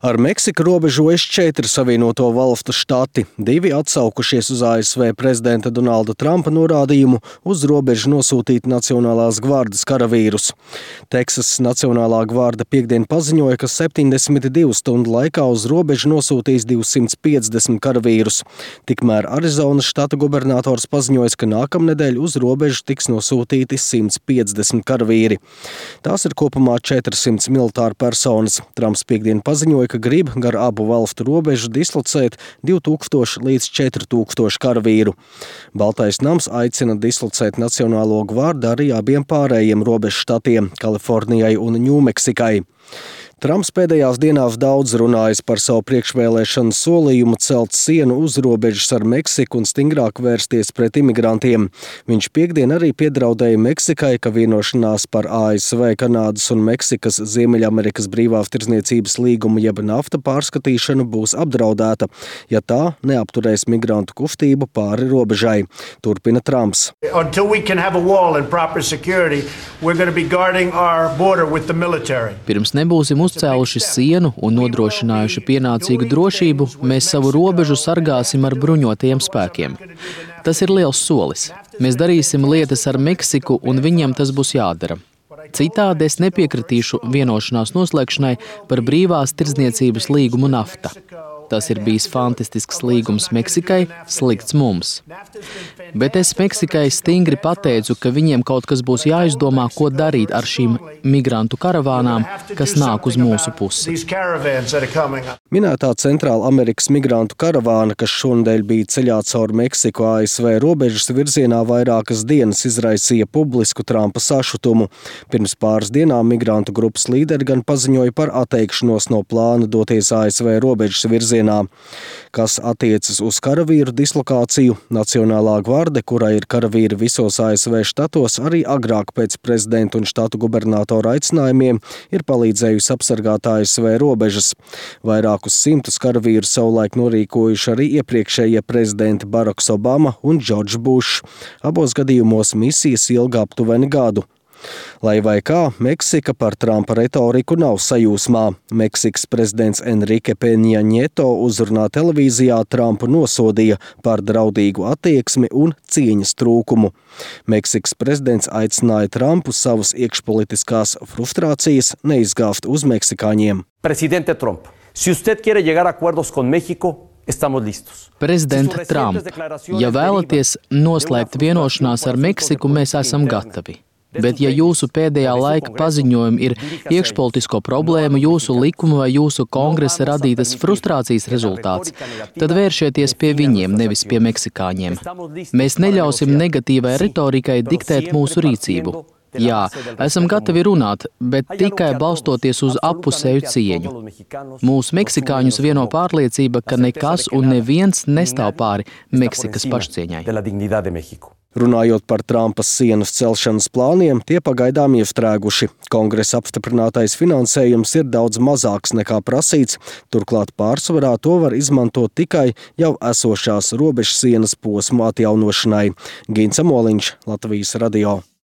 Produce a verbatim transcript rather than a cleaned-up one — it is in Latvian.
Ar Meksiku robežojas četri Savienoto Valstu štati, divi atsaukušies uz A S V prezidenta Donalda Trumpa norādījumu uz robežu nosūtīt Nacionālās gvardes karavīrus. Teksasas Nacionālā gvarde piekdien paziņoja, ka septiņdesmit divu stundu laikā uz robežu nosūtīs divsimt piecdesmit karavīrus. Tikmēr Arizonas štata gubernators paziņoja, ka nākamnedēļ uz robežu tiks nosūtīti simt piecdesmit karavīri. Tās ir kopumā četras simtas militāru personas. Trumps piekdien paziņoja, ka grib gar abu valstu robežu dislocēt divi tūkstoši līdz četri tūkstoši karavīru. Baltais nams aicina dislocēt Nacionālo gvardi arī abiem pārējiem robežu štatiem – Kalifornijai un Ņūmeksikai. Trumps pēdējās dienās daudz runājis par savu priekšvēlēšanu solījumu celt sienu uz robežas ar Meksiku un stingrāk vērsties pret imigrantiem. Viņš piekdien arī piedraudēja Meksikai, ka vienošanās par A S V, Kanādas un Meksikas Ziemeļamerikas brīvās tirdzniecības līgumu jeb nafta pārskatīšanu būs apdraudēta, ja tā neapturēs migrantu kustību pāri robežai. Turpina Trumps. Until we can have a wall and proper security, we're going to be guarding our border with the military. Pirms nebūsim uzcēluši sienu un nodrošinājuši pienācīgu drošību, mēs savu robežu sargāsim ar bruņotajiem spēkiem. Tas ir liels solis. Mēs darīsim lietas ar Meksiku un viņiem tas būs jādara. Citādi es nepiekritīšu vienošanās noslēgšanai par brīvās tirdzniecības līgumu nafta. Tas ir bijis fantastisks līgums Meksikai, slikts mums. Bet es Meksikai stingri pateicu, ka viņiem kaut kas būs jāizdomā, ko darīt ar šīm migrantu karavānām, kas nāk uz mūsu pusi. Minētā Centrāla Amerikas migrantu karavāna, kas šonedēļ bija ceļā caur Meksiku A S V robežas virzienā vairākas dienas, izraisīja publisku Trumpa sašutumu. Pirms pāris dienām migrantu grupas līderi gan paziņoja par atteikšanos no plāna doties A S V robežas virzienā. Kas attiecas uz karavīru dislokāciju, Nacionālā gvarde, kurai ir karavīri visos A S V štatos, arī agrāk pēc prezidenta un štatu gubernatora aicinājumiem ir palīdzējusi apsargāt A S V robežas. Vairākus simtus karavīru savulaik norīkojuši arī iepriekšējie prezidenti Baraks Obama un Džordžs Bušs. Abos gadījumos misijas ilga aptuveni gadu. Lai vai kā, Meksika par Trumpa retoriku nav sajūsmā. Meksikas prezidents Enrique Peņa Nieto uzrunā televīzijā Trumpu nosodīja par draudīgu attieksmi un cieņas trūkumu. Meksikas prezidents aicināja Trumpu savas iekšpolitiskās frustrācijas neizgāzt uz meksikāņiem. Presidente Trump, si usted quiere llegar a acuerdos con México, Prezident Trump, ja vēlaties noslēgt vienošanās ar Meksiku, mēs esam gatavi. Bet ja jūsu pēdējā laika paziņojumi ir iekšpolitisko problēmu, jūsu likuma vai jūsu kongresa radītas frustrācijas rezultāts, tad vēršieties pie viņiem, nevis pie meksikāņiem. Mēs neļausim negatīvai retorikai diktēt mūsu rīcību. Jā, esam gatavi runāt, bet tikai balstoties uz appusēju cieņu. Mūsu meksikāņus vieno pārliecība, ka nekas un neviens nestāv pāri Meksikas pašcieņai. Runājot par Trumpa sienas celšanas plāniem, tie pagaidām iestrēguši. Kongresa apstiprinātais finansējums ir daudz mazāks nekā prasīts, turklāt pārsvarā to var izmantot tikai jau esošās robežsienas posmu atjaunošanai. Gins Amoliņš, Latvijas radio.